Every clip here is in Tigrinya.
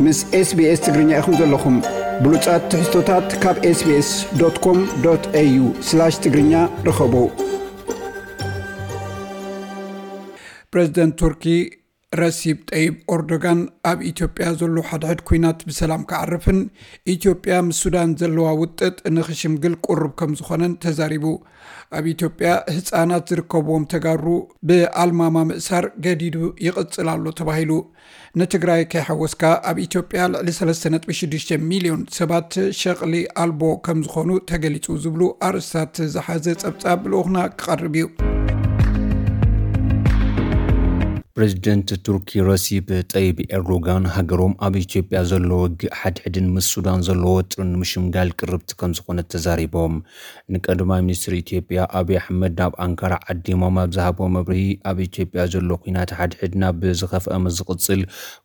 ምስ SBS ትግርኛ ኢኹም ዘለኹም። ብሉጻት ትሕዝቶታት ካብ SBS.com.au/ትግርኛ ርኸቡ። ፕሬዝደንት ቱርኪ ረሲብ ጠይብ ኦርዶጋን ኣብ ኢትዮጵያ ዘሎ ሓድሕድ ኲናት ብሰላም ክዓርፍን ኢትዮጵያ ምስ ሱዳን ዘለዋ ውጥጥ ንኽሽምግል ቁሩብ ከም ዝኾነን ተዛሪቡ። ኣብ ኢትዮጵያ ህጻናት ዝርከብዎም ተጋሩ ብኣልማማ ምእሳር ገዲዱ ይቕጽል ኣሎ ተባሂሉ። ንትግራይ ከይሓወስካ ኣብ ኢትዮጵያ ልዕሊ ሰለስተ ነጥቢ ሽዱሽተ ሚልዮን ሰባት ሸቕሊ ኣልቦ ከም ዝኾኑ ተገሊጹ ዝብሉ ኣርእስታት ዝሓዘ ጸብጻብ ልኡኽና ክቐርብ እዩ። ፕሬዝደንት ቱርኪ ረሲብ ጠይብ ኤርዶጋን ሃገሮም ኣብ ኢትዮጵያ ዘሎ ውግእ ሓድሕድን ምስ ሱዳን ዘሎ ወጥርን ንምሽምጋል ቅርብቲ ከም ዝኾነት ተዛሪቦም። ንቀዳማይ ሚኒስትር ኢትዮጵያ ኣብይ ኣሕመድ ናብ ኣንካራ ዓዲሞም ኣብ ዝሃቦ መብርሂ፣ ኣብ ኢትዮጵያ ዘሎ ኲናት ሓድሕድ ናብ ዝኸፍአ ምስ ዝቕጽል፣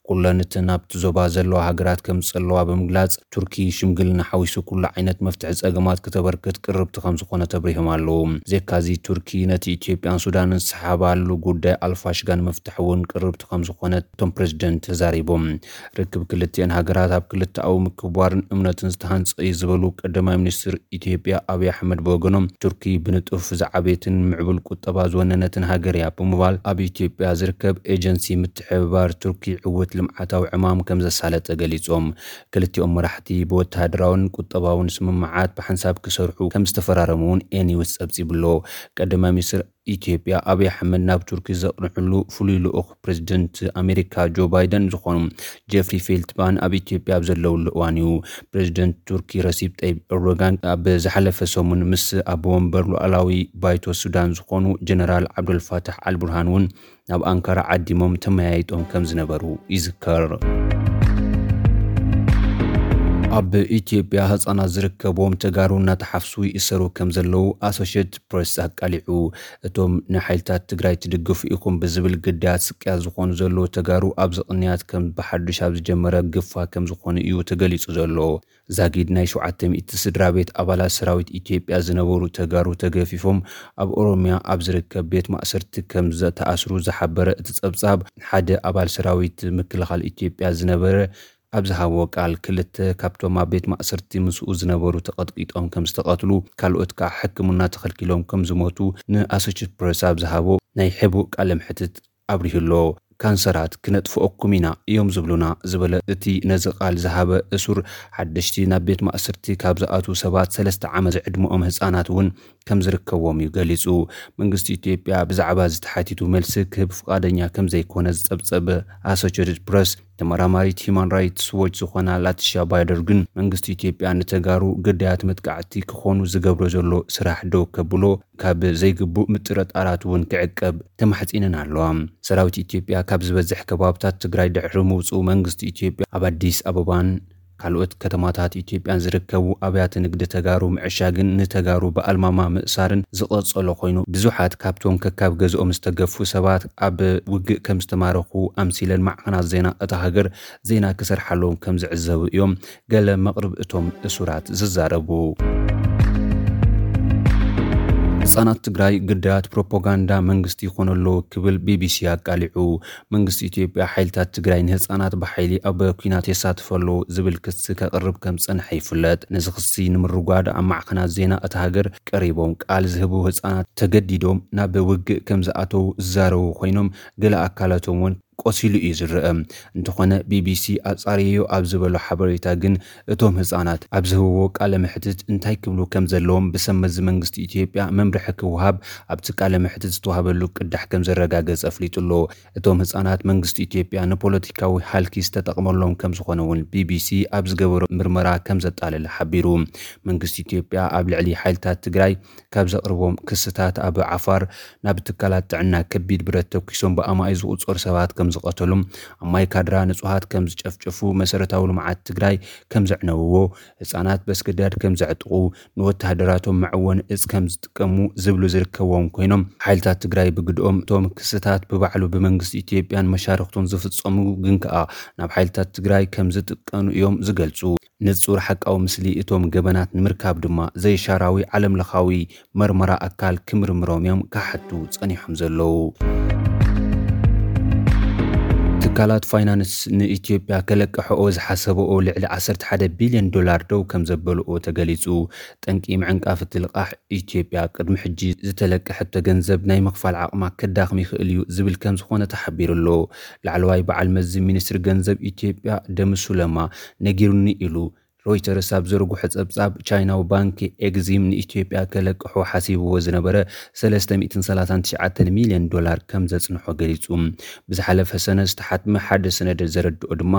ኩለን እተን ኣብቲ ዞባ ዘለዋ ሃገራት ከም ዝጸለዋ ብምግላጽ፣ ቱርኪ ሽምግልና ሓዊሱ ኩሉ ዓይነት መፍትሒ ጸገማት ክተበርክት ቅርብቲ ከም ዝኾነት ኣብሪሆም ኣለዉ። ብዘይካዚ፣ ቱርኪ ነቲ ኢትዮጵያን ሱዳንን ዝሰሓባሉ ጉዳይ ኣልፋሽጋ ንምፍታሕ እውን ቅርብቲ ከም ዝኾነት እቶም ፕሬዝደንት ተዛሪቦም። ርክብ ክልቲአን ሃገራት ኣብ ክልተኣዊ ምክብባርን እምነትን ዝተሃንጸ እዩ ዝበሉ ቀዳማይ ሚኒስትር ኢትዮጵያ ኣብይ ኣሕመድ ብወገኖም፣ ቱርኪ ብንጡፍ ዝዓበየትን ምዕቡል ቁጠባ ዝወነነትን ሃገር እያ ብምባል፣ ኣብ ኢትዮጵያ ዝርከብ ኤጀንሲ ምትሕብባር ቱርኪ ዕውት ልምዓታዊ ዕማም ከም ዘሳለጠ ገሊጾም። ክልቲኦም መራሕቲ ብወተሃደራውን ቁጠባውን ስምምዓት ብሓንሳብ ክሰርሑ ከም ዝተፈራረሙ እውን ኤኒውስ ጸብጺቡ ኣሎ። ቀዳማይ ሚኒስትር ኢትዮጵያ ኣብይ ኣሕመድ ናብ ቱርኪ ዘቕንዕሉ ፍሉይ ልኡኽ ፕሬዝደንት ኣሜሪካ ጆ ባይደን ዝኾኑ ጀፍሪ ፌልትማን ኣብ ኢትዮጵያ ኣብ ዘለውሉ እዋን እዩ። ፕሬዝደንት ቱርኪ ረሲብ ጠይብ ኤርዶጋን ኣብ ዝሓለፈ ሰሙን ምስ ኣቦ ወንበር ሉዓላዊ ባይቶ ሱዳን ዝኾኑ ጀነራል ዓብዱልፋታሕ ኣልቡርሃን እውን ናብ ኣንካራ ዓዲሞም ተመያይጦም ከም ዝነበሩ ይዝከር። ኣብ ኢትዮጵያ ህጻናት ዝርከብዎም ተጋሩ እናተሓፍሱ ይእሰሩ ከም ዘለዉ ኣሶሼትድ ፕሬስ ኣቃሊዑ። እቶም ንሓይልታት ትግራይ ትድግፉ ኢኹም ብዝብል ግዳያት ስቅያት ዝኾኑ ዘለዉ ተጋሩ ኣብዚ ቅንያት ከም ብሓዱሽ ኣብ ዝጀመረ ግፋ ከም ዝኾኑ እዩ ተገሊጹ ዘሎ። ዛጊድ ናይ ሸውዓተ ሚእቲ ስድራ ቤት ኣባላት ሰራዊት ኢትዮጵያ ዝነበሩ ተጋሩ ተገፊፎም ኣብ ኦሮሚያ ኣብ ዝርከብ ቤት ማእሰርቲ ከም ዝተኣስሩ ዝሓበረ እቲ ጸብጻብ፣ ሓደ ኣባል ሰራዊት ምክልኻል ኢትዮጵያ ዝነበረ ኣብ ዝሃቦ ቃል፣ ክልተ ካብቶም ኣብ ቤት ማእሰርቲ ምስኡ ዝነበሩ ተቐጥቂጦም ከም ዝተቐትሉ፣ ካልኦት ከኣ ሕክምና ተኸልኪሎም ከም ዝሞቱ ንኣሶሼትድ ፕሬስ ኣብ ዝሃቦ ናይ ሕቡእ ቃለ መሕትት ኣብሪሁ ኣሎ። ካንሰራት ክነጥፍኦኩም ኢና እዮም ዝብሉና ዝበለ እቲ ነዚ ቃል ዝሃበ እሱር፣ ሓደሽቲ ናብ ቤት ማእሰርቲ ካብ ዝኣትዉ ሰባት ሰለስተ ዓመት ዝዕድመኦም ህጻናት እውን ከም ዝርከብዎም እዩ ገሊጹ። መንግስቲ ኢትዮጵያ ብዛዕባ እዚ ተሓቲቱ መልሲ ክህብ ፍቓደኛ ከም ዘይኮነ ዝጸብጸበ ኣሶሼትድ ፕረስ፣ ተመራማሪት ሂማን ራይትስ ዎች ዝኾና ላቲሻ ባይደር ግን፣ መንግስቲ ኢትዮጵያ ንተጋሩ ግዳያት መጥቃዕቲ ክኾኑ ዝገብሮ ዘሎ ስራሕ ደው ከብሎ፣ ካብ ዘይግቡእ ምጥርጣራት እውን ክዕቀብ ተማሕጺነን ኣለዋ። ሰራዊት ኢትዮጵያ ካብ ዝበዝሕ ከባብታት ትግራይ ድሕሪ ምውጽኡ፣ መንግስቲ ኢትዮጵያ ኣብ ኣዲስ ኣበባን ካልኦት ከተማታት ኢትዮጵያን ዝርከቡ ኣብያተ ንግዲ ተጋሩ ምዕሻግን ንተጋሩ ብኣልማማ ምእሳርን ዝቐጸሎ ኮይኑ፣ ብዙሓት ካብቶም ከካብ ገዝኦም ዝተገፉ ሰባት ኣብ ውግእ ከም ዝተማረኹ ኣምሲለን ማዕኸናት ዜና እታ ሃገር ዜና ክሰርሓሎም ከም ዝዕዘቡ እዮም ገለ መቕርብ እቶም እሱራት ዝዛረቡ። ህጻናት ትግራይ ግዳያት ፕሮፓጋንዳ መንግስቲ ይኾኑ ኣለዉ ክብል ቢቢሲ ኣቃሊዑ። መንግስቲ ኢትዮጵያ ሓይልታት ትግራይ ንህጻናት ብሓይሊ ኣብ ኲናት የሳትፉ ኣለዉ ዝብል ክሲ ከቕርብ ከም ዝጸንሐ ይፍለጥ። ነዚ ክሲ ንምርጓድ ኣብ ማዕኸናት ዜና እታ ሃገር ቀሪቦም ቃል ዝህቡ ህጻናት ተገዲዶም ናብ ውግእ ከም ዝኣተዉ ዝዛረቡ ኮይኖም፣ ገለ ኣካላቶም እውን ቆሲሉ እዩ ዝረአ። እንተኾነ ቢቢሲ ኣጻርየዮ ኣብ ዝበሎ ሓበሬታ ግን፣ እቶም ህጻናት ኣብ ዝህብዎ ቃለ መሕትት እንታይ ክብሉ ከም ዘለዎም ብሰብ መዚ መንግስቲ ኢትዮጵያ መምርሒ ክወሃብ ኣብቲ ቃለ መሕትት ዝተዋህበሉ ቅዳሕ ከም ዘረጋገጸ ኣፍሊጡ ኣሎ። እቶም ህጻናት መንግስቲ ኢትዮጵያ ንፖለቲካዊ ሃልኪ ዝተጠቕመሎም ከም ዝኾነ እውን ቢቢሲ ኣብ ዝገበሮ ምርመራ ከም ዘጣለለ ሓቢሩ። መንግስቲ ኢትዮጵያ ኣብ ልዕሊ ሓይልታት ትግራይ ካብ ዘቕርቦም ክስታት፣ ኣብ ዓፋር ናብ ትካላት ጥዕና ከቢድ ብረት ተኩሶም ብኣማኢት ዝቑጸሩ ሰባት ከም ዝቐተሉ፣ ኣብ ማይካድራ ንጹሃት ከም ዝጨፍጨፉ፣ መሰረታዊ ልምዓት ትግራይ ከም ዘዕነውዎ፣ ህጻናት በስገዳድ ከም ዘዕጥቑ፣ ንወተሃደራቶም መዕወኒ እጽ ከም ዝጥቀሙ ዝብሉ ዝርከብዎም ኮይኖም፣ ሓይልታት ትግራይ ብግድኦም እቶም ክስታት ብባዕሉ ብመንግስቲ ኢትዮጵያን መሻርክቱን ዝፍጸሙ ግን ከኣ ናብ ሓይልታት ትግራይ ከም ዝጥቀኑ እዮም ዝገልጹ። ንጹር ሓቃዊ ምስሊ እቶም ገበናት ንምርካብ ድማ ዘይሻራዊ ዓለምለኻዊ መርመራ ኣካል ክምርምሮም እዮም ክሓቱ ጸኒሖም ዘለዉ። ትካ ትካላት ፋይናንስ ንኢትዮጵያ ከለቅሕኦ ዝሓሰብኦ ልዕሊ ዓሰርተ ሓደ ቢልዮን ዶላር ደው ከም ዘበልኦ ተገሊጹ። ጠንቂ ምዕንቃፍ እቲ ልቓሕ፣ ኢትዮጵያ ቅድሚ ሕጂ ዝተለቀሐቶ ገንዘብ ናይ ምኽፋል ዓቕማ ከዳኽም ይኽእል እዩ ዝብል ከም ዝኾነ ተሓቢሩ ኣሎ። ላዕለዋይ በዓል መዚ ሚኒስትሪ ገንዘብ ኢትዮጵያ ደምሱ ለማ ነጊሩኒ ኢሉ። ሮይተርስ ኣብ ዘርግሖ ጸብጻብ፣ ቻይናዊ ባንኪ ኤግዚም ንኢትዮጵያ ከለቅሖ ሓሲብዎ ዝነበረ ሰለስተ ሚእትን ሰላሳን ትሽዓተን ሚልዮን ዶላር ከም ዘጽንሖ ገሊጹ። ብዝሓለፈ ሰነ ዝተሓትመ ሓደ ሰነድ ዘረድኦ ድማ፣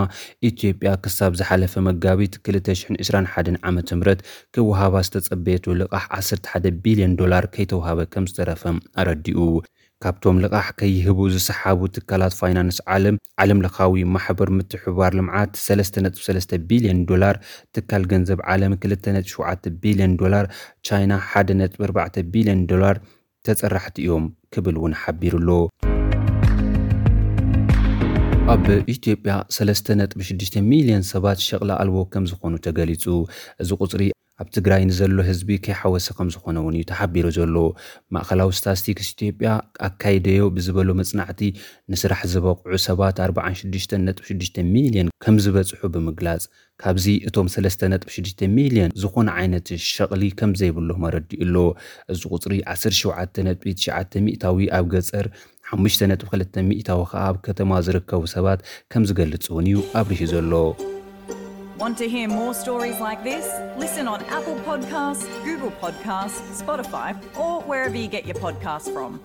ኢትዮጵያ ክሳብ ዝሓለፈ መጋቢት ክልተ ሽሕን ዕስራን ሓደን ዓመተ ምህረት ክወሃባ ዝተጸበየቶ ልቓሕ ዓሰርተ ሓደ ቢልዮን ዶላር ከይተውሃበ ከም ዝተረፈ ኣረዲኡ። ካብቶም ልቓሕ ከይህቡ ዝሰሓቡ ትካላት ፋይናንስ ዓለም፣ ዓለም ለኻዊ ማሕበር ምትሕብባር ልምዓት ሰለስተ ነጥቢ ሰለስተ ቢልዮን ዶላር፣ ትካል ገንዘብ ዓለም ክልተ ነጥቢ ሸውዓተ ቢልዮን ዶላር፣ ቻይና ሓደ ነጥቢ ኣርባዕተ ቢልዮን ዶላር ተጸራሕቲ እዮም ክብል እውን ሓቢሩ ኣሎ። ኣብ ኢትዮጵያ ሰለስተ ነጥቢ ሽዱሽተ ሚልዮን ሰባት ሸቕሊ ኣልቦ ከም ዝኾኑ ተገሊጹ። እዚ ቁጽሪ ኣብ ትግራይ ንዘሎ ህዝቢ ከይሓወሰ ከም ዝኾነ እውን እዩ ተሓቢሩ ዘሎ። ማእኸላዊ ስታስቲክስ ኢትዮጵያ ኣካይደዮ ብዝበሎ መጽናዕቲ፣ ንስራሕ ዝበቕዑ ሰባት ኣርባዓን ሽዱሽተን ነጥቢ ሽዱሽተ ሚልዮን ከም ዝበጽሑ ብምግላጽ፣ ካብዚ እቶም ሰለስተ ነጥቢ ሽዱሽተ ሚልዮን ዝኾነ ዓይነት ሸቕሊ ከም ዘይብሎም ኣረዲኡ ኣሎ። እዚ ቁጽሪ ዓሰርተ ሸውዓተ ነጥቢ ትሽዓተ ሚእታዊ ኣብ ገጸር፣ ሓሙሽተ ነጥቢ ክልተ ሚእታዊ ከኣ ኣብ ከተማ ዝርከቡ ሰባት ከም ዝገልጽ እውን እዩ ኣብሪሁ ዘሎ። Want to hear more stories like this? Listen on Apple Podcasts, Google Podcasts, Spotify, or wherever you get your podcasts from.